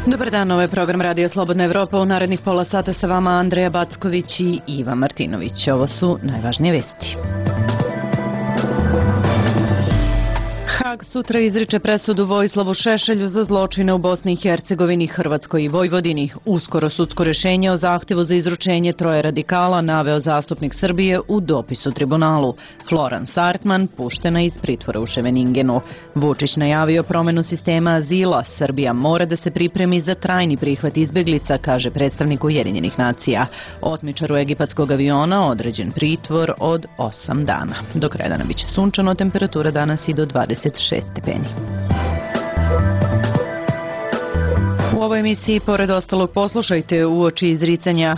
Dobar dan, ovo je program Radio Slobodna Evropa. U narednih pola sata sa vama Andreja Backović i Iva Martinović. Ovo su najvažnije vesti. Hag sutra izriče presudu Vojislavu Šešelju za zločine u Bosni i Hercegovini, Hrvatskoj i Vojvodini. Uskoro sudsko rešenje o zahtevu za izručenje troje radikala naveo zastupnik Srbije u dopisu tribunalu. Florence Artman puštena iz pritvora u Ševeningenu. Vučić najavio promenu sistema azila. Srbija mora da se pripremi za trajni prihvat izbeglica, kaže predstavnik Ujedinjenih nacija. Otmičaru egipatskog aviona određen pritvor od 8 dana. Do kraja dana biće sunčano, temperatura danas i do 26 stepeni. U ovoj emisiji, pored ostalog, poslušajte uoči izricanja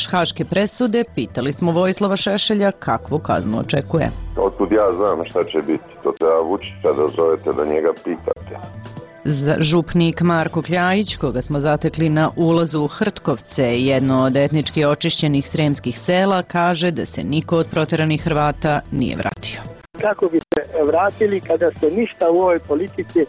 haške presude, pitali smo Vojislava Šešelja kakvu kaznu očekuje. Otkud ja znam šta će biti, to treba Vučića da zovete da njega pitate. Župnik Marko Kljajić, koga smo zatekli na ulazu u Hrtkovce, jedno od etnički očišćenih sremskih sela, kaže da se niko od proteranih Hrvata nije vratio. Kako bi se vratili kada se ništa u ovoj politici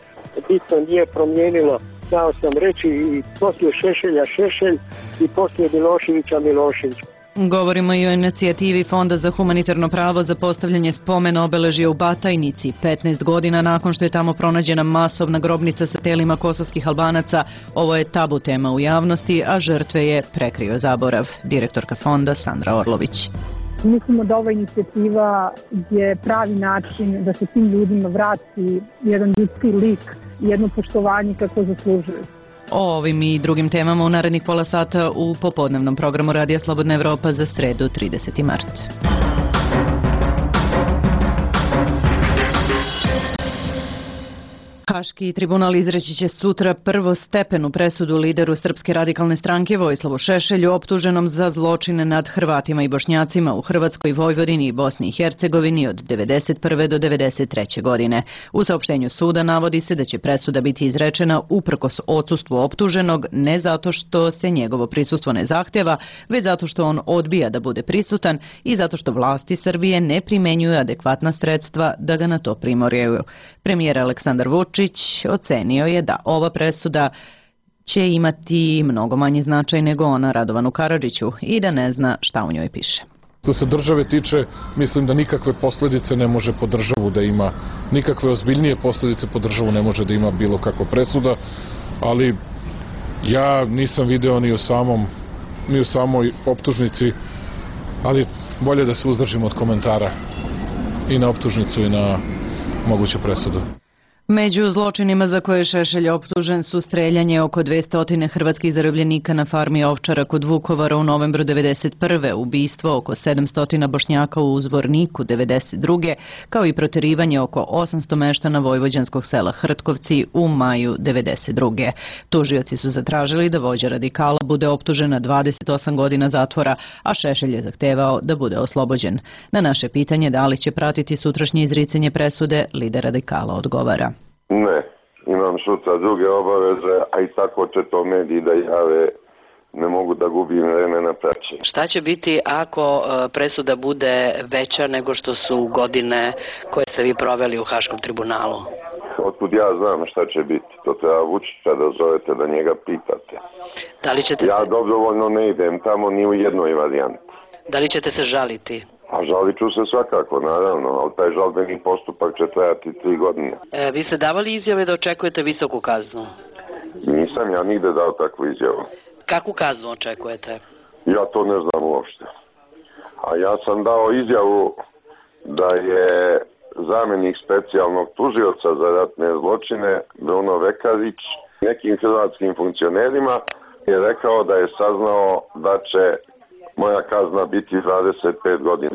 bitno nije promijenilo? Znao sam reći i poslije Šešelja Šešelj i poslije Miloševića Milošević. Govorimo i o inicijativi Fonda za humanitarno pravo za postavljanje spomena obeležja u Batajnici. 15 godina nakon što je tamo pronađena masovna grobnica sa telima kosovskih Albanaca, ovo je tabu tema u javnosti, a žrtve je prekrio zaborav. Direktorka fonda Sandra Orlović. Mislimo da ova inicijativa je pravi način da se tim ljudima vrati jedan ljudski lik, jedno poštovanje kako zaslužuju. O ovim i drugim temama u narednih pola sata u popodnevnom programu Radija Slobodna Evropa za sredu 30. mart. Haški tribunal izreći će sutra prvostepenu presudu lideru Srpske radikalne stranke Vojislavu Šešelju, optuženom za zločine nad Hrvatima i Bošnjacima u Hrvatskoj, Vojvodini i Bosni i Hercegovini od 1991. do 1993. godine. U saopštenju suda navodi se da će presuda biti izrečena uprkos odsustvu optuženog, ne zato što se njegovo prisustvo ne zahtjeva, već zato što on odbija da bude prisutan i zato što vlasti Srbije ne primenjuju adekvatna sredstva da ga na to primoraju. Premijer Aleksandar Vučić ocenio je da ova presuda će imati mnogo manji značaj nego ona Radovanu Karadžiću i da ne zna šta u njoj piše. Što se države tiče, mislim da nikakve posljedice ne može po državu da ima, nikakve ozbiljnije posljedice po državu ne može da ima bilo kakva presuda, ali ja nisam video ni u samoj optužnici, ali bolje da se uzdržimo od komentara i na optužnicu i na moguću presudu. Među zločinima za koje je Šešelj optužen su streljanje oko 200 hrvatskih zarobljenika na farmi Ovčara kod Vukovara u novembru 1991. Ubistvo oko 700 Bošnjaka u Uzvorniku 1992. kao i proterivanje oko 800 meštana vojvođanskog sela Hrtkovci u maju 1992. Tužioci su zatražili da vođa radikala bude optužen na 28 godina zatvora, a Šešelj je zahtevao da bude oslobođen. Na naše pitanje da li će pratiti sutrašnje izricanje presude, lider radikala odgovara. Ne, imam sutra druge obaveze, a i tako će to mediji da jave, ne mogu da gubim vreme na praćenje. Šta će biti ako presuda bude veća nego što su godine koje ste vi proveli u Haškom tribunalu? Otkud ja znam šta će biti, to treba Vučića da zovete da njega pitate. Da li ćete ja dobrovoljno ne idem tamo ni u jednoj varijanti. Da li ćete se žaliti? A žalit ću se svakako, naravno, ali taj žalbeni postupak će trajati 3 godine. Vi ste davali izjave da očekujete visoku kaznu? Nisam ja nigde dao takvu izjavu. Kakvu kaznu očekujete? Ja to ne znam uopšte. A ja sam dao izjavu da je zamjenik specijalnog tužioca za ratne zločine Bruno Vekarić nekim hrvatskim funkcionerima je rekao da je saznao da će moja kazna biti 25 godina.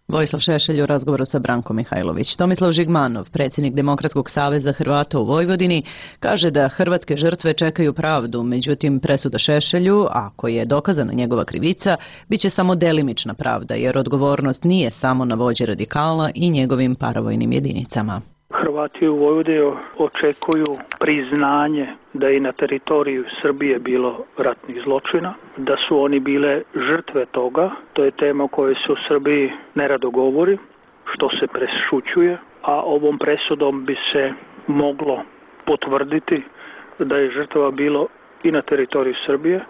Vojislav Šešelj u razgovoru sa Brankom Mihajlović. Tomislav Žigmanov, predsjednik Demokratskog saveza Hrvata u Vojvodini, kaže da hrvatske žrtve čekaju pravdu, međutim presuda Šešelju, ako je dokazana njegova krivica, bit će samo delimična pravda, jer odgovornost nije samo na vođi radikala i njegovim paravojnim jedinicama. Hrvati u Vojvodini očekuju priznanje da je na teritoriju Srbije bilo ratnih zločina, da su oni bile žrtve toga. To je tema o kojoj se u Srbiji nerado govori, što se prešućuje, a ovom presudom bi se moglo potvrditi da je žrtava bilo i na teritoriju Srbije,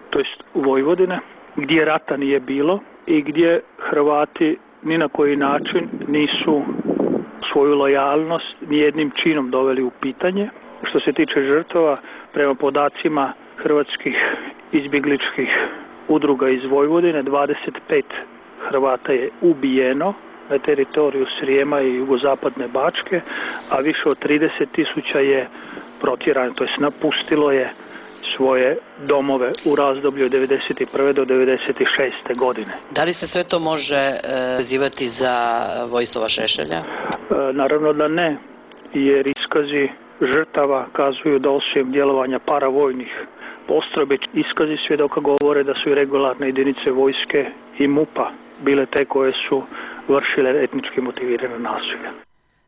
to jest Vojvodine, gdje rata nije bilo i gdje Hrvati ni na koji način nisu svoju lojalnost nijednim činom doveli u pitanje. Što se tiče žrtava, prema podacima hrvatskih izbjegličkih udruga iz Vojvodine, 25 Hrvata je ubijeno na teritoriju Srijema i jugozapadne Bačke, a više od 30.000 je protjerano, to jest napustilo je svoje domove u razdoblju od 1991. do 1996. godine. Da li se sve to može vezivati za Vojislava Šešelja? Naravno da ne, jer iskazi žrtava kazuju da osim djelovanja paravojnih postrojbi, iskazi svjedoka govore da su i regularne jedinice vojske i MUP-a bile te koje su vršile etnički motivirane nasilje.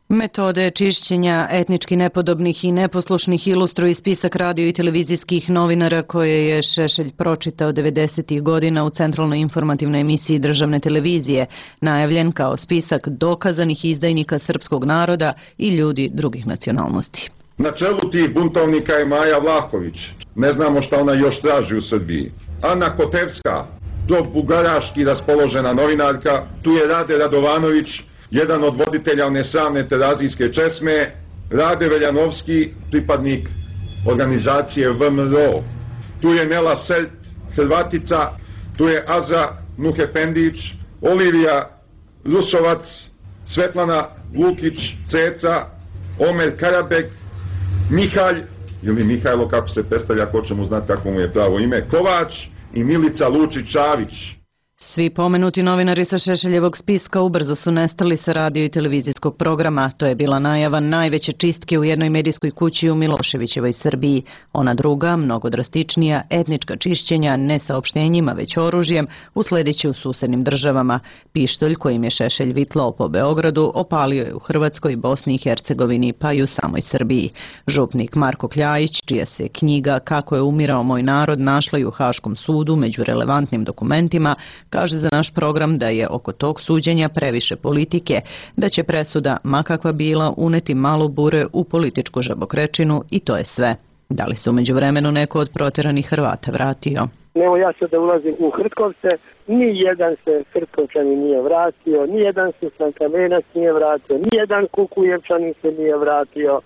Metode čišćenja etnički nepodobnih i neposlušnih ilustruje spisak radio i televizijskih novinara koje je Šešelj pročitao 90. godina u centralnoj informativnoj emisiji državne televizije, najavljen kao spisak dokazanih izdajnika srpskog naroda i ljudi drugih nacionalnosti. Na čelu tih buntovnika je Maja Vlahović. Ne znamo šta ona još traži u Srbiji. Ana Kotevska, pro-bugaraški raspoložena novinarka, tu je Rade Radovanović, jedan od voditelja one slavne terazijske česme, Rade Veljanovski, pripadnik organizacije VMRO. Tu je Nela Selt, Hrvatica, tu je Azra Nuhefendić, Olivija Rusovac, Svetlana Lukić, Ceca, Omer Karabek, Mihalj, ili Mihajlo kako se predstavlja, ko će mu znati kako mu je pravo ime, Kovač i Milica Lučić-Čavić. Svi pomenuti novinari sa Šešeljevog spiska ubrzo su nestali sa radio i televizijskog programa. To je bila najava najveće čistke u jednoj medijskoj kući u Miloševićevoj Srbiji. Ona druga, mnogo drastičnija, etnička čišćenja ne saopštenjima već oružjem, usledit će u susednim državama. Pištolj kojim je Šešelj vitlao po Beogradu opalio je u Hrvatskoj, Bosni i Hercegovini pa i u samoj Srbiji. Župnik Marko Kljajić, čija se knjiga Kako je umirao moj narod našla i u Haškom sudu među relevantnim dokumentima, kaže za naš program da je oko tog suđenja previše politike, da će presuda, ma kakva bila, uneti malo bure u političku žabokrečinu i to je sve. Da li se u međuvremenu neko od protjeranih Hrvata vratio? Evo ja sad da ulazim u Hrtkovce, ni jedan se Hrtkovčanin nije vratio, ni jedan se Slankamenac nije vratio, ni jedan Kukujevčanin se nije vratio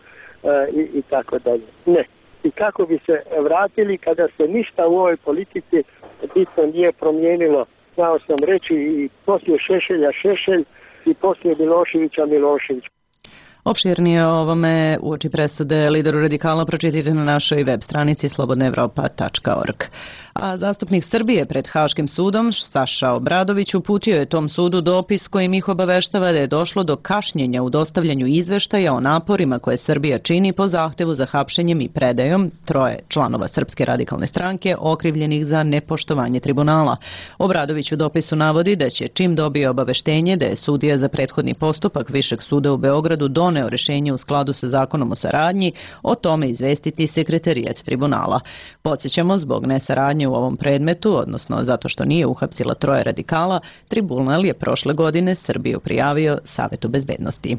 i tako dalje. Ne. I kako bi se vratili kada se ništa u ovoj politici bitno nije promijenilo? Znao sam reći i poslije Šešelja Šešelj i poslije Miloševića Milošević. Opširnije o ovome uoči presude lideru radikala pročitajte na našoj web stranici slobodnaevropa.org. A zastupnik Srbije pred Haškim sudom Saša Obradović uputio je tom sudu dopis kojim ih obaveštava da je došlo do kašnjenja u dostavljanju izveštaja o naporima koje Srbija čini po zahtevu za hapšenjem i predajom 3 članova Srpske radikalne stranke okrivljenih za nepoštovanje tribunala. Obradović u dopisu navodi da će čim dobije obaveštenje da je sudija za prethodni postupak Višeg suda u Beogradu doneo rješenje u skladu sa zakonom o saradnji, o tome izvestiti sekretarijat tribunala. Podsjećamo, zbog nesaradnje u ovom predmetu, odnosno zato što nije uhapsila 3 radikala, tribunal je prošle godine Srbiju prijavio Savetu bezbednosti.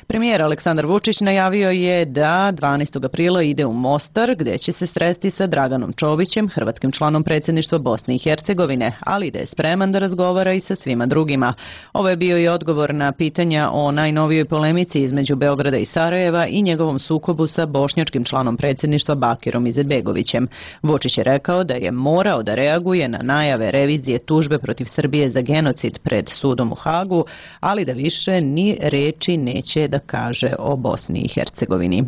Premijer Aleksandar Vučić najavio je da 12. aprila ide u Mostar, gdje će se sresti sa Draganom Čovićem, hrvatskim članom predsjedništva Bosne i Hercegovine, ali da je spreman da razgovara i sa svima drugima. Ovo je bio i odgovor na pitanja o najnovijoj polemici između Beograda i Sarajeva i njegovom sukobu sa bošnjačkim članom predsjedništva Bakirom Izetbegovićem. Vučić je rekao da je morao da reaguje na najave revizije tužbe protiv Srbije za genocid pred sudom u Hagu, ali da više ni reči neće da kaže o Bosni i Hercegovini.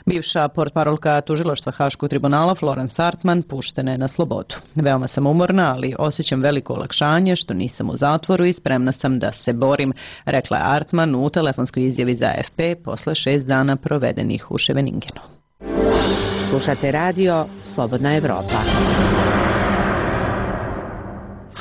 Bivša portparolka tužilaštva Haškog tribunala Florence Artman puštena je na slobodu. Veoma sam umorna, ali osjećam veliko olakšanje što nisam u zatvoru i spremna sam da se borim, rekla je Artman u telefonskoj izjavi za AFP posle 6 dana provedenih u Ševeningenu. Slušate radio Slobodna Evropa.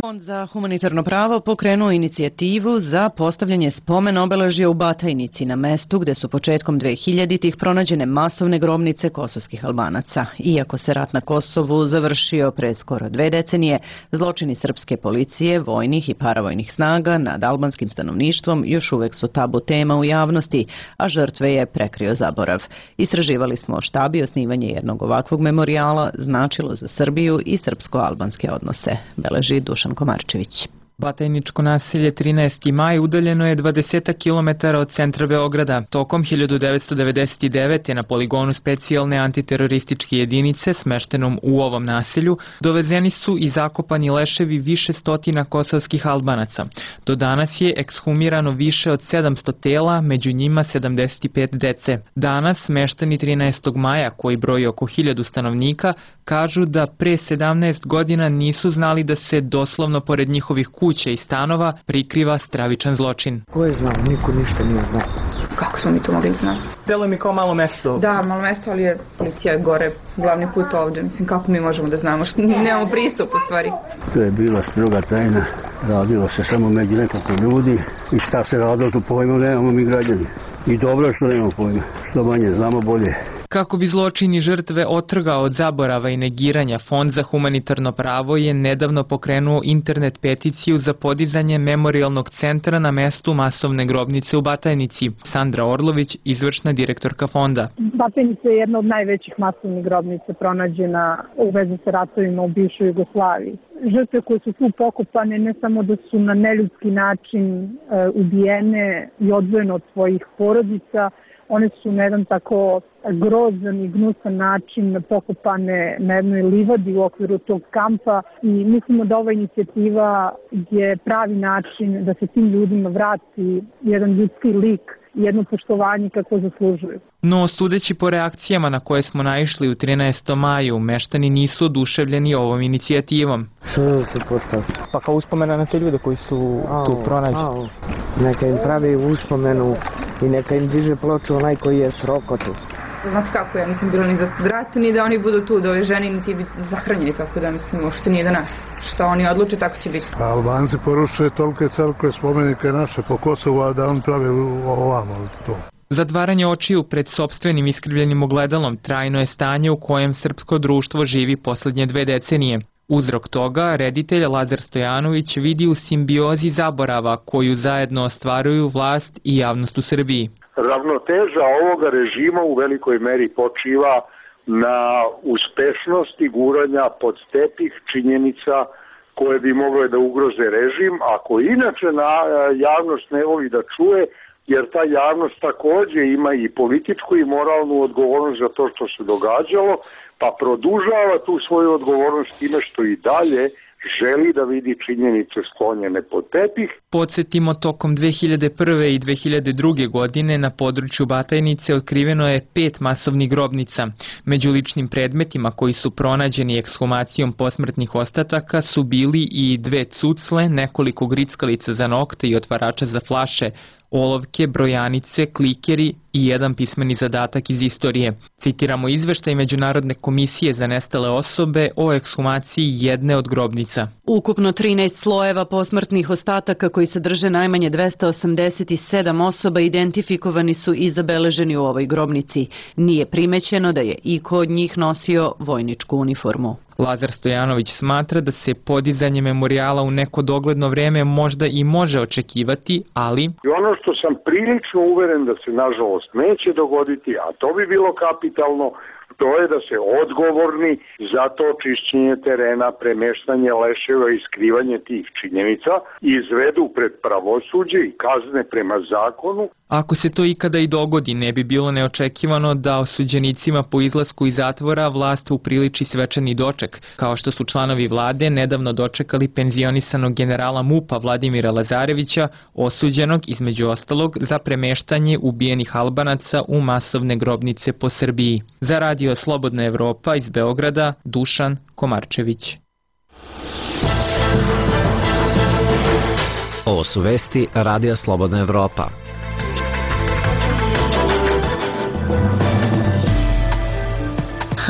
Fond za humanitarno pravo pokrenuo inicijativu za postavljanje spomen obeležja u Batajnici na mestu gde su početkom 2000-ih pronađene masovne grobnice kosovskih Albanaca. Iako se rat na Kosovu završio pre skoro 2 decenije, zločini srpske policije, vojnih i paravojnih snaga nad albanskim stanovništvom još uvek su tabu tema u javnosti, a žrtve je prekrio zaborav. Istraživali smo šta bi osnivanje jednog ovakvog memorijala značilo za Srbiju i srpsko-albanske odnose, beleži Dušan Komarčević. Batajničko naselje 13. maj udaljeno je 20 km od centra Beograda. Tokom 1999. na poligonu specijalne antiterorističke jedinice smeštenom u ovom naselju dovezeni su i zakopani leševi više stotina kosovskih Albanaca. Do danas je ekshumirano više od 700 tela, među njima 75 dece. Danas meštani 13. maja, koji broji oko 1000 stanovnika, kažu da pre 17 godina nisu znali da se doslovno pored njihovih kuća i stanova prikriva stravičan zločin. Ko je znao? Niko ništa nije znao. Kako smo mi to mogli znati? Delo mi kao malo mesto. Da, malo mesto, ali je policija gore, glavni put ovdje. Mislim, kako mi možemo da znamo? Nemamo pristup u stvari. To je bila stroga tajna. Radilo se samo među nekoliko ljudi. I šta se radilo, to pojma nemamo mi građani. I dobro što nemamo pojma. Što manje znamo, bolje. Kako bi zločini žrtve otrgao od zaborava i negiranja, Fond za humanitarno pravo je nedavno pokrenuo internet peticiju za podizanje memorijalnog centra na mestu masovne grobnice u Batajnici. Sandra Orlović, izvršna direktorka fonda. Batajnica je jedna od najvećih masovnih grobnica pronađena u vezi sa ratovima u bivšoj Jugoslaviji. Žrtve koje su tu pokopane ne samo da su na neljudski način ubijene i odvojene od svojih porodica, one su na jedan tako grozan i gnusan način pokopane na jednoj livadi u okviru tog kampa i mislimo da ova inicijativa je pravi način da se tim ljudima vrati jedan ljudski lik i jedno poštovanje kako zaslužuju. No, sudeći po reakcijama na koje smo naišli u 13. maju, meštani nisu oduševljeni ovom inicijativom. Sve se postavi. Pa kao uspomena na te ljude koji su tu pronađeni. Neka im pravi uspomenu i neka im diže ploču onaj koji je srokotu. Znate kako, ja nisam bila ni za rat, ni da oni budu tu, da ove žene niti biti zahranjeni, tako da mislim, uopšte nije do nas. Šta oni odluče, tako će biti. Albanci poručuje tolike crkve, spomenike naše po Kosovu, a da on pravi ovamo to. Zatvaranje očiju pred sopstvenim iskrivljenim ogledalom trajno je stanje u kojem srpsko društvo živi poslednje 2 decenije. Uzrok toga reditelj Lazar Stojanović vidi u simbiozi zaborava koju zajedno ostvaruju vlast i javnost u Srbiji. Ravnoteža ovoga režima u velikoj meri počiva na uspešnosti guranja pod tepih činjenica koje bi mogle da ugroze režim, ako inače javnost ne voli da čuje, jer ta javnost takođe ima i političku i moralnu odgovornost za to što se događalo, pa produžava tu svoju odgovornost time što i dalje želi da vidi činjenice sklonjene pod tepih. Podsjetimo, tokom 2001. i 2002. godine na području Batajnice otkriveno je 5 masovnih grobnica. Među ličnim predmetima koji su pronađeni ekshumacijom posmrtnih ostataka su bili i 2 cucle, nekoliko grickalica za nokte i otvarača za flaše, olovke, brojanice, klikeri i jedan pismeni zadatak iz istorije. Citiramo izveštaj Međunarodne komisije za nestale osobe o ekshumaciji jedne od grobnica. Ukupno 13 slojeva posmrtnih ostataka koji sadrže najmanje 287 osoba identifikovani su i zabeleženi u ovoj grobnici. Nije primećeno da je iko od njih nosio vojničku uniformu. Lazar Stojanović smatra da se podizanje memorijala u neko dogledno vreme možda i može očekivati, ali... Ono što sam prilično uveren da se nažalost neće dogoditi, a to bi bilo kapitalno, to je da se odgovorni za to čišćenje terena, premeštanje leševa i skrivanje tih činjenica izvedu pred pravosuđe i kazne prema zakonu. Ako se to ikada i dogodi, ne bi bilo neočekivano da osuđenicima po izlasku iz zatvora vlast upriliči svečani doček, kao što su članovi vlade nedavno dočekali penzionisanog generala MUP-a Vladimira Lazarevića, osuđenog između ostalog za premeštanje ubijenih Albanaca u masovne grobnice po Srbiji. Za Radio Slobodna Evropa iz Beograda, Dušan Komarčević. Ovo su vesti Radija Slobodna Evropa.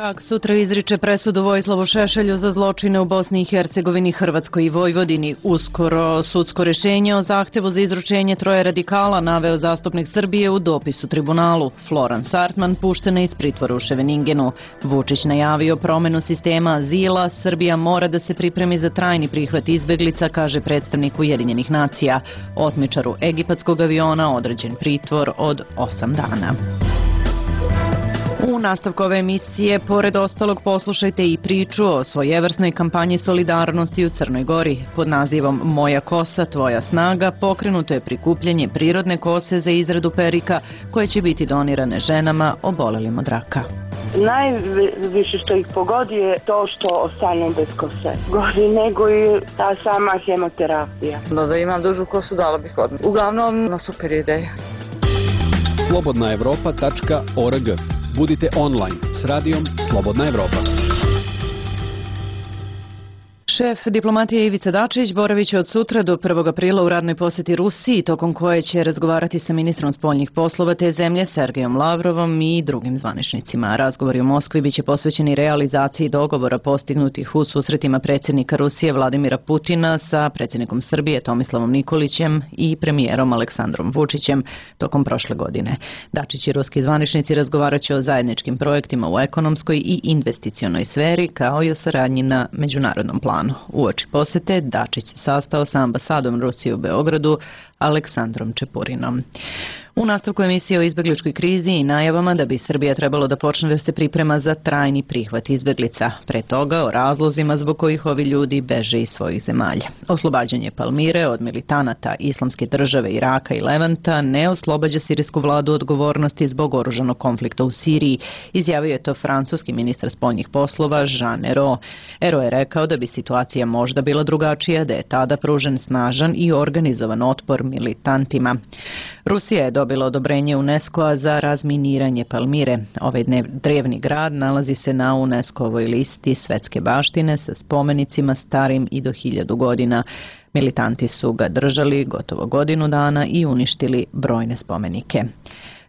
Hag sutra izriče presudu Vojislavu Šešelju za zločine u Bosni i Hercegovini, Hrvatskoj i Vojvodini. Uskoro sudsko rješenje o zahtjevu za izručenje 3 radikala naveo zastupnik Srbije u dopisu tribunalu. Floran Sartman puštena iz pritvora u Ševeningenu. Vučić najavio promjenu sistema azila. Srbija mora da se pripremi za trajni prihvat izbeglica, kaže predstavnik Ujedinjenih nacija. Otmičaru egipatskog aviona određen pritvor od 8 dana. U nastavku ove emisije, pored ostalog, poslušajte i priču o svojevrsnoj kampanji solidarnosti u Crnoj Gori. Pod nazivom Moja kosa, tvoja snaga pokrenuto je prikupljanje prirodne kose za izradu perika koje će biti donirane ženama obolelim od raka. Najviše što ih pogodi je to što ostanu bez kose. Gori nego i ta sama hemoterapija. Da imam dužu kosu dala bih odmah. Uglavnom, super ideja. slobodnaevropa.org. Budite online s radijom Slobodna Evropa. Šef diplomatije Ivica Dačić boravit će od sutra do 1. aprila u radnoj posjeti Rusiji, tokom koje će razgovarati sa ministrom spoljnih poslova te zemlje Sergejom Lavrovom i drugim zvaničnicima. Razgovori u Moskvi biće posvećeni realizaciji dogovora postignutih u susretima predsjednika Rusije Vladimira Putina sa predsjednikom Srbije Tomislavom Nikolićem i premijerom Aleksandrom Vučićem tokom prošle godine. Dačić i ruski zvaničnici razgovarat će o zajedničkim projektima u ekonomskoj i investicionoj sferi, kao i o saradnji na međunarodnom planu. Uoči posjete Dačić se sastao sa ambasadom Rusije u Beogradu Aleksandrom Čepurinom. U nastavku emisije o izbegličkoj krizi i najavama da bi Srbija trebalo da počne da se priprema za trajni prihvat izbeglica. Pre toga o razlozima zbog kojih ovi ljudi beže iz svojih zemalja. Oslobađanje Palmire od militanata Islamske države Iraka i Levanta ne oslobađa sirijsku vladu odgovornosti zbog oružanog konflikta u Siriji, izjavio je to francuski ministar spoljnih poslova Jean Ayrault. Ayrault je rekao da bi situacija možda bila drugačija, da je tada pružen snažan i organizovan otpor militantima. Rusija je dobila odobrenje UNESCO-a za razminiranje Palmire. Ovaj drevni grad nalazi se na UNESCO-ovoj listi svetske baštine sa spomenicima starim i do 1000 godina. Militanti su ga držali gotovo godinu dana i uništili brojne spomenike.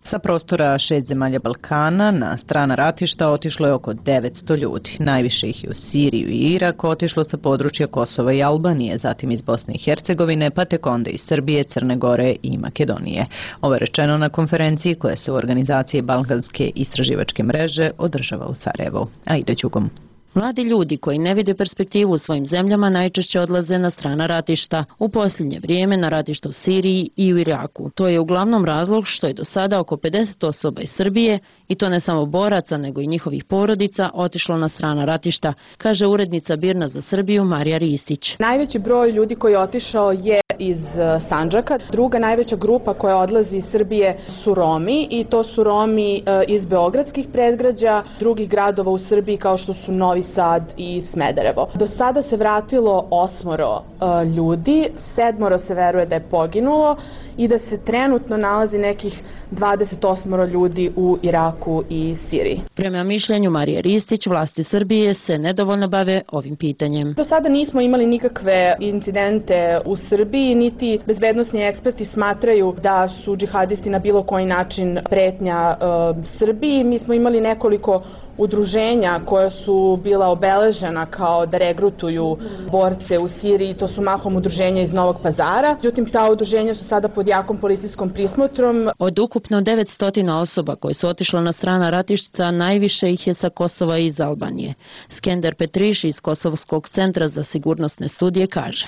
Sa prostora 6 zemalja Balkana na strana ratišta otišlo je oko 900 ljudi. Najviše ih je u Siriju i Irak otišlo sa područja Kosova i Albanije, zatim iz Bosne i Hercegovine, pa tek onda iz Srbije, Crne Gore i Makedonije. Ovo je rečeno na konferenciji koja se u organizaciji Balkanske istraživačke mreže održava u Sarajevu. Aida Đugom. Mladi ljudi koji ne vide perspektivu u svojim zemljama najčešće odlaze na strana ratišta. U posljednje vrijeme na ratišta u Siriji i u Iraku. To je uglavnom razlog što je do sada oko 50 osoba iz Srbije, i to ne samo boraca nego i njihovih porodica, otišlo na strana ratišta, kaže urednica BIRN-a za Srbiju Marija Ristić. Najveći broj ljudi koji je otišao je iz Sandžaka. Druga najveća grupa koja odlazi iz Srbije su Romi, i to su Romi iz beogradskih predgrađa, drugih gradova u Srbiji kao što su Novi Sad i Smederevo. Do sada se vratilo 8 ljudi, 7 se veruje da je poginulo i da se trenutno nalazi nekih 28 ljudi u Iraku i Siriji. Prema mišljenju Marije Ristić, vlasti Srbije se nedovoljno bave ovim pitanjem. Do sada nismo imali nikakve incidente u Srbiji, niti bezbednosni eksperti smatraju da su džihadisti na bilo koji način pretnja Srbiji. Mi smo imali nekoliko udruženja koja su bila obeležena kao da regrutuju borce u Siriji, to su mahom udruženja iz Novog Pazara. Međutim, ta udruženja su sada pod jakom policijskom prismotrom. Od ukupno 900 osoba koje su otišle na strana ratišta, najviše ih je sa Kosova i iz Albanije. Skender Petriš iz Kosovskog centra za sigurnosne studije kaže: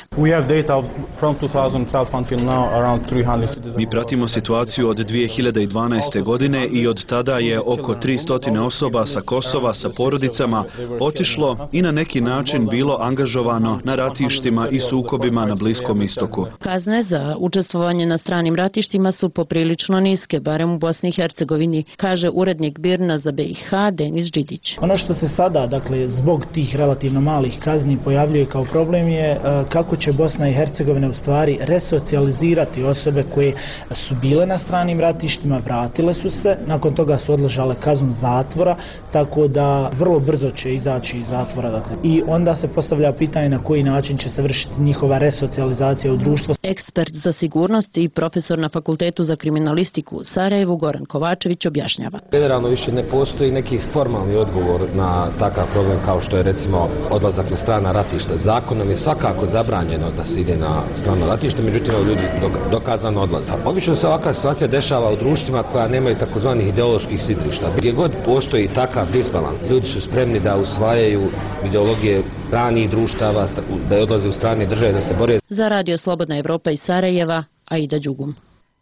Mi pratimo situaciju od 2012. godine i od tada je oko 300 osoba sa Kosova sa porodicama otišlo i na neki način bilo angažovano na ratištima i sukobima na Bliskom istoku. Kazne za učestvovanje na stranim ratištima su poprilično niske, barem u Bosni i Hercegovini, kaže urednik BIRN-a za BiH Denis Đidić. Ono što se sada, zbog tih relativno malih kazni pojavljuje kao problem je kako će Bosna i Hercegovina u stvari resocijalizirati osobe koje su bile na stranim ratištima, vratile su se, nakon toga su odležale kaznu zatvora, tako tako da vrlo brzo će izaći iz zatvora. Dakle. I onda se postavlja pitanje na koji način će se vršiti njihova resocijalizacija u društvo. Ekspert za sigurnost i profesor na Fakultetu za kriminalistiku u Sarajevu Goran Kovačević objašnjava. Generalno više ne postoji neki formalni odgovor na takav problem kao što je recimo odlazak na strana ratišta. Zakonom je svakako zabranjeno da se ide na strano ratište, međutim ljudi dokazano odlaze. Obično se ovakva situacija dešava u društvima koja nemaju takozvanih ideoloških sidrišta. Gdje god postoji takav disbalans, ljudi su spremni da usvajaju ideologije stranih društava, da odlaze u strane države, da se bore. Za Radio Slobodna Evropa iz Sarajeva, Aida Đugum.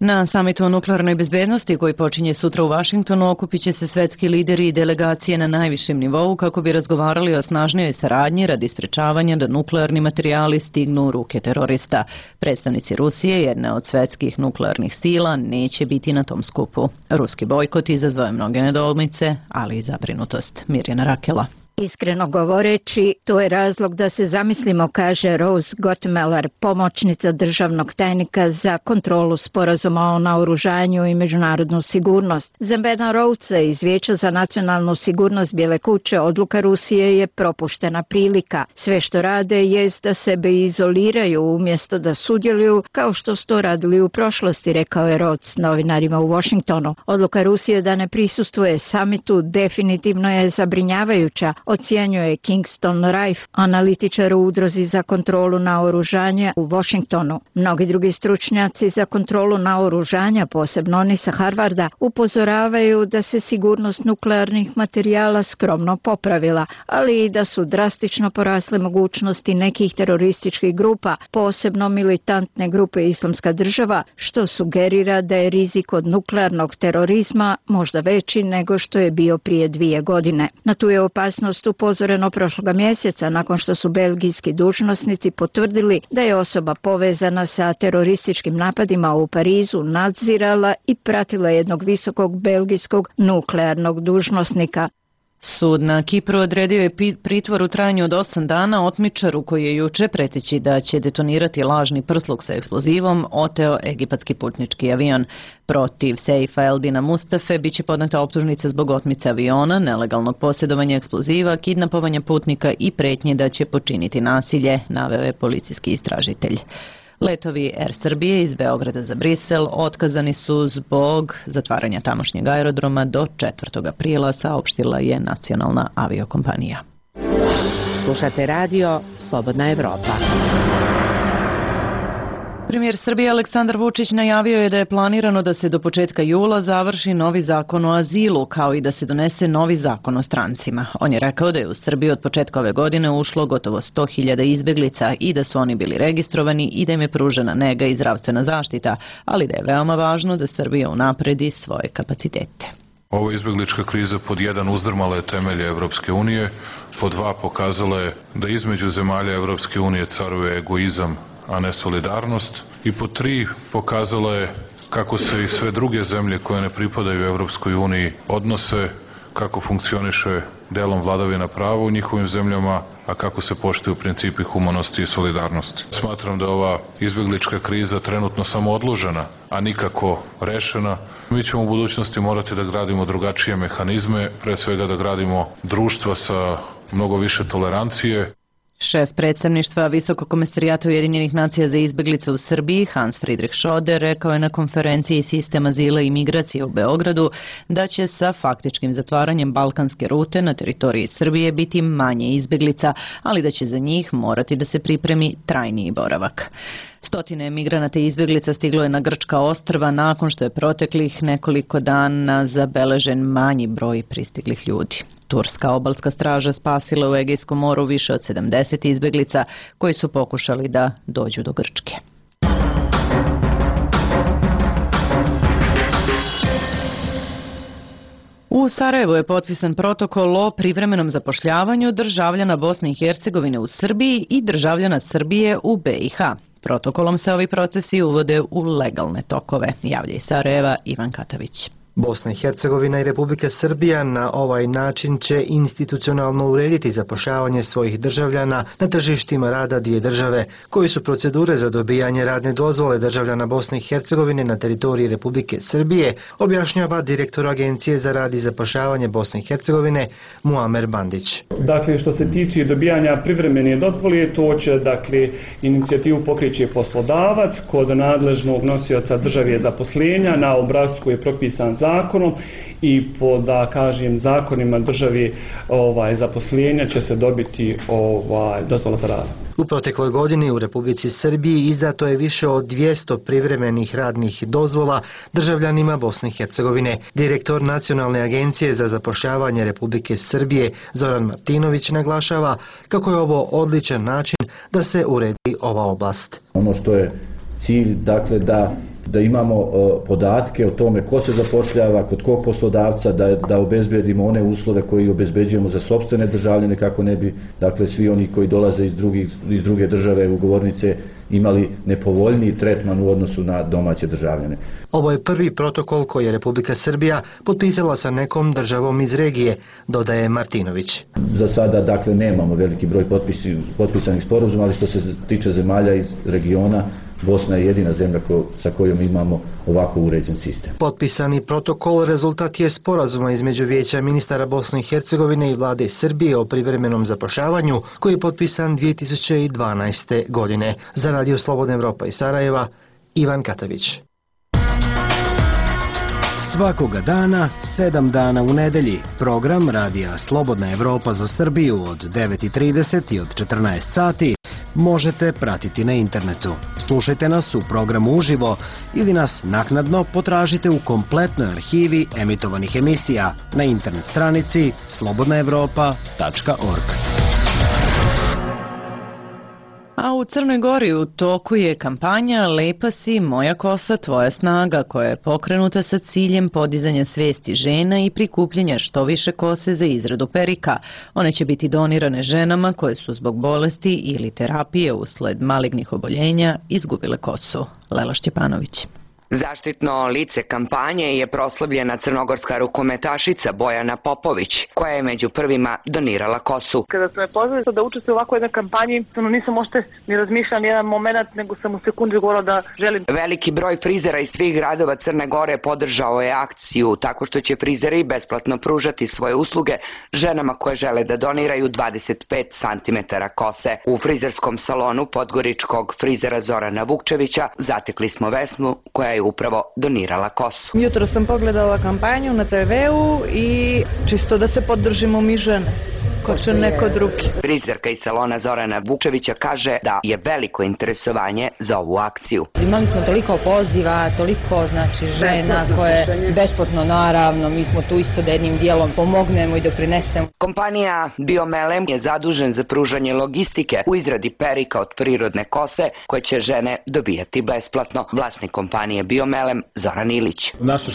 Na samitu o nuklearnoj bezbednosti koji počinje sutra u Vašingtonu okupit će se svetski lideri i delegacije na najvišem nivou kako bi razgovarali o snažnijoj saradnji radi sprečavanja da nuklearni materijali stignu u ruke terorista. Predstavnici Rusije, jedne od svetskih nuklearnih sila, neće biti na tom skupu. Ruski bojkot izazvao je mnoge nedoumice, ali i zabrinutost. Mirjana Rakela. Iskreno govoreći, to je razlog da se zamislimo, kaže Rose Gottmeller, pomoćnica državnog tajnika za kontrolu sporazuma o naoružanju i međunarodnu sigurnost. Za Bena Rhoadesa iz Vijeća za nacionalnu sigurnost Bijele kuće odluka Rusije je propuštena prilika. Sve što rade jest da sebe izoliraju umjesto da sudjeluju kao što su to radili u prošlosti, rekao je Rhoades novinarima u Washingtonu. Odluka Rusije da ne prisustvuje samitu definitivno je zabrinjavajuća, ocjenjuje Kingston Rife, analitičar u udruzi za kontrolu naoružanja u Washingtonu. Mnogi drugi stručnjaci za kontrolu naoružanja, posebno oni sa Harvarda, upozoravaju da se sigurnost nuklearnih materijala skromno popravila, ali i da su drastično porasle mogućnosti nekih terorističkih grupa, posebno militantne grupe Islamska država, što sugerira da je rizik od nuklearnog terorizma možda veći nego što je bio prije 2 godine. Na tu je opasnost upozoreno prošloga mjeseca nakon što su belgijski dužnosnici potvrdili da je osoba povezana sa terorističkim napadima u Parizu nadzirala i pratila jednog visokog belgijskog nuklearnog dužnosnika. Sud na Kipru odredio je pritvor u trajanju od 8 dana otmičaru koji je juče, preteći da će detonirati lažni prsluk sa eksplozivom, oteo egipatski putnički avion. Protiv Seifa Eldina Mustafe biće podneta optužnica zbog otmice aviona, nelegalnog posjedovanja eksploziva, kidnapovanja putnika i pretnje da će počiniti nasilje, naveo je policijski istražitelj. Letovi Air Srbije iz Beograda za Brisel otkazani su zbog zatvaranja tamošnjeg aerodroma do 4. aprila, saopštila je nacionalna aviokompanija. Slušate radio Slobodna Evropa. Premijer Srbije Aleksandar Vučić najavio je da je planirano da se do početka jula završi novi zakon o azilu, kao i da se donese novi zakon o strancima. On je rekao da je u Srbiji od početka ove godine ušlo gotovo 100.000 izbeglica i da su oni bili registrovani i da im je pružena nega i zdravstvena zaštita, ali da je veoma važno da Srbija unapredi svoje kapacitete. Ova izbeglička kriza pod 1 uzdrmala je temelje Evropske unije, pod 2 pokazala je da između zemalja Evropske unije caruje egoizam, a ne solidarnost, i po 3 pokazala je kako se i sve druge zemlje koje ne pripadaju Evropskoj uniji odnose, kako funkcioniše delom vladavina prava u njihovim zemljama, a kako se poštuju principi humanosti i solidarnosti. Smatram da je ova izbeglička kriza trenutno samo odložena, a nikako rešena. Mi ćemo u budućnosti morati da gradimo drugačije mehanizme, pre svega da gradimo društva sa mnogo više tolerancije. Šef predstavništva Visokog komesarijata Ujedinjenih nacija za izbeglice u Srbiji, Hans Friedrich Schoder, rekao je na konferenciji Sistem azila i migracije u Beogradu da će sa faktičkim zatvaranjem balkanske rute na teritoriji Srbije biti manje izbeglica, ali da će za njih morati da se pripremi trajniji boravak. Stotine migranata i izbeglica stiglo je na grčka ostrva nakon što je proteklih nekoliko dana zabeležen manji broj pristiglih ljudi. Turska obalska straža spasila u Egejskom moru više od 70 izbeglica koji su pokušali da dođu do Grčke. U Sarajevu je potpisan protokol o privremenom zapošljavanju državljana Bosne i Hercegovine u Srbiji i državljana Srbije u BiH. Protokolom se ovi procesi uvode u legalne tokove, javlja iz Sarajeva Ivan Katavić. Bosna i Hercegovina i Republika Srbija na ovaj način će institucionalno urediti zapošljavanje svojih državljana na tržištima rada dvije države, koji su procedure za dobijanje radne dozvole državljana Bosne i Hercegovine na teritoriji Republike Srbije, objašnjava direktor Agencije za rad i zapošljavanje Bosne i Hercegovine Muamer Bandić. Dakle, što se tiče dobijanja privremene dozvole, to će, inicijativu pokreće poslodavac kod nadležnog nosioca države zaposlenja na obrascu koji je propisan zakonom i po, zakonima države zaposlenja će se dobiti dozvola za rad. U protekloj godini u Republici Srbiji izdato je više od 200 privremenih radnih dozvola državljanima Bosne i Hercegovine. Direktor Nacionalne agencije za zapošljavanje Republike Srbije Zoran Martinović naglašava kako je ovo odličan način da se uredi ova oblast. Ono što je cilj, da imamo podatke o tome ko se zapošljava, kod kog poslodavca, da obezbedimo one uslove koje obezbeđujemo za sopstvene državljane kako ne bi, svi oni koji dolaze iz druge države ugovornice imali nepovoljniji tretman u odnosu na domaće državljane. Ovo je prvi protokol koji je Republika Srbija potpisala sa nekom državom iz regije, dodaje Martinović. Za sada, nemamo veliki broj potpisanih sporazuma, ali što se tiče zemalja iz regiona, Bosna je jedina zemlja sa kojom imamo ovako uređen sistem. Potpisani protokol rezultat je sporazuma između Vijeća ministara Bosne i Hercegovine i vlade Srbije o privremenom zapošljavanju koji je potpisan 2012. godine. Za Radio Slobodna Evropa iz Sarajeva, Ivan Katavić. Svakoga dana, 7 dana u nedelji, program Radija Slobodna Evropa za Srbiju od 9:30 i od 14 sati možete pratiti na internetu. Slušajte nas u programu uživo ili nas naknadno potražite u kompletnoj arhivi emitovanih emisija na internet stranici slobodnaevropa.org. A u Crnoj Gori u toku je kampanja Lepa si, moja kosa, tvoja snaga, koja je pokrenuta sa ciljem podizanja svesti žena i prikupljanja što više kose za izradu perika. One će biti donirane ženama koje su zbog bolesti ili terapije usled malignih oboljenja izgubile kosu. Lela Šćepanović. Zaštitno lice kampanje je proslavljena crnogorska rukometašica Bojana Popović, koja je među prvima donirala kosu. Kada su me pozvali da učestvujem u ovakvoj jednoj kampanji, nisam možete ni razmišljala jedan moment, nego sam u sekundi govorila da želim. Veliki broj frizera iz svih gradova Crne Gore podržao je akciju tako što će frizeri besplatno pružati svoje usluge ženama koje žele da doniraju 25 cm kose. U frizerskom salonu podgoričkog frizera Zorana Vukčevića zatekli smo Vesnu, koja je upravo donirala kosu. Jutro sam pogledala kampanju na TV-u i čisto da se podržimo mi žene, ko će neko drugi. Frizerka iz salona Zorana Vukčevića kaže da je veliko interesovanje za ovu akciju. Imali smo toliko poziva, toliko žena koje besplatno, naravno, mi smo tu isto da jednim dijelom pomognemo i doprinesemo. Kompanija Biomelem je zadužen za pružanje logistike u izradi perika od prirodne kose koje će žene dobijati besplatno. Vlasnik kompanije Biomelem Zoran Ilić. Naša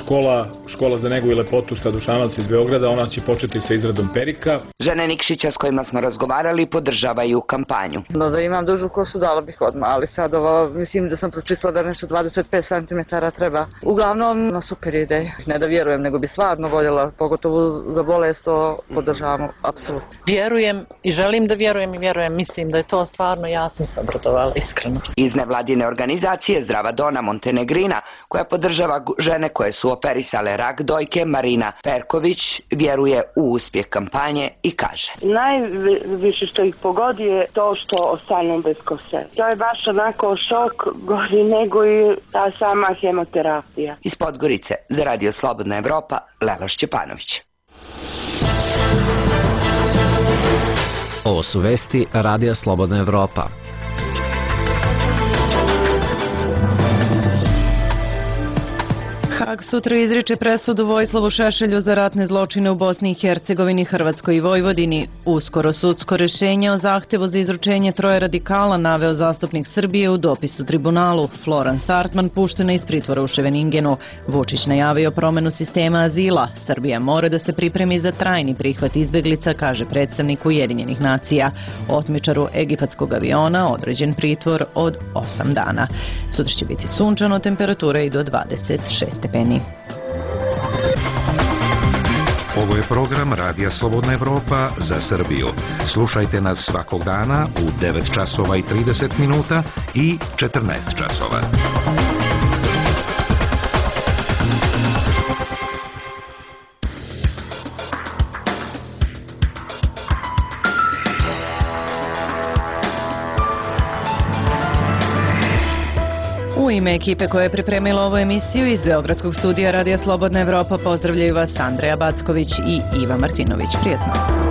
škola za negu i lepotu sa Dušanovca iz Beograda, ona će početi sa izradom perika. Žene Nikšića s kojima smo razgovarali podržavaju kampanju. Da imam dužu kosu dala bih odmah, ali sad mislim da sam pročistila da nešto 25 cm treba. Uglavnom, super ideja. Ne da vjerujem, nego bi stvarno voljela, pogotovo za bolest, to podržavamo, apsolutno. Vjerujem i želim da vjerujem i vjerujem, mislim da je to stvarno, ja sam se obradovala, iskreno. Iz nevladine organizacije Zdrava Dona Montenegrina, koja podržava žene koje su operisale rak dojke, Marina Perković vjeruje u uspjeh kampanje i kaže. Najviše što ih pogodi je to što ostanu bez kose. To je baš onako šok, gori nego i ta sama hemoterapija. Iz Podgorice za Radio Slobodna Evropa, Lela Šćepanović. Ovo su vesti Radija Slobodna Evropa. Hag sutra izriče presudu Vojislavu Šešelju za ratne zločine u Bosni i Hercegovini, Hrvatskoj i Vojvodini. Uskoro sudsko rješenje o zahtevu za izručenje troje radikala naveo zastupnik Srbije u dopisu tribunalu. Floran Sartman puštena iz pritvora u Ševeningenu. Vučić najavio promenu sistema azila. Srbija mora da se pripremi za trajni prihvat izbeglica, kaže predstavnik Ujedinjenih nacija. Otmičaru egipatskog aviona određen pritvor od 8 dana. Sutra će biti sunčano, temperatura i do 26 stepeni. Ovo je program Radija Slobodna Evropa za Srbiju. Slušajte nas svakog dana u 9 časova i 30 minuta i 14 časova. U ime ekipe koja je pripremila ovu emisiju iz Beogradskog studija Radija Slobodna Evropa pozdravljaju vas Andreja Backović i Iva Martinović. Prijetno.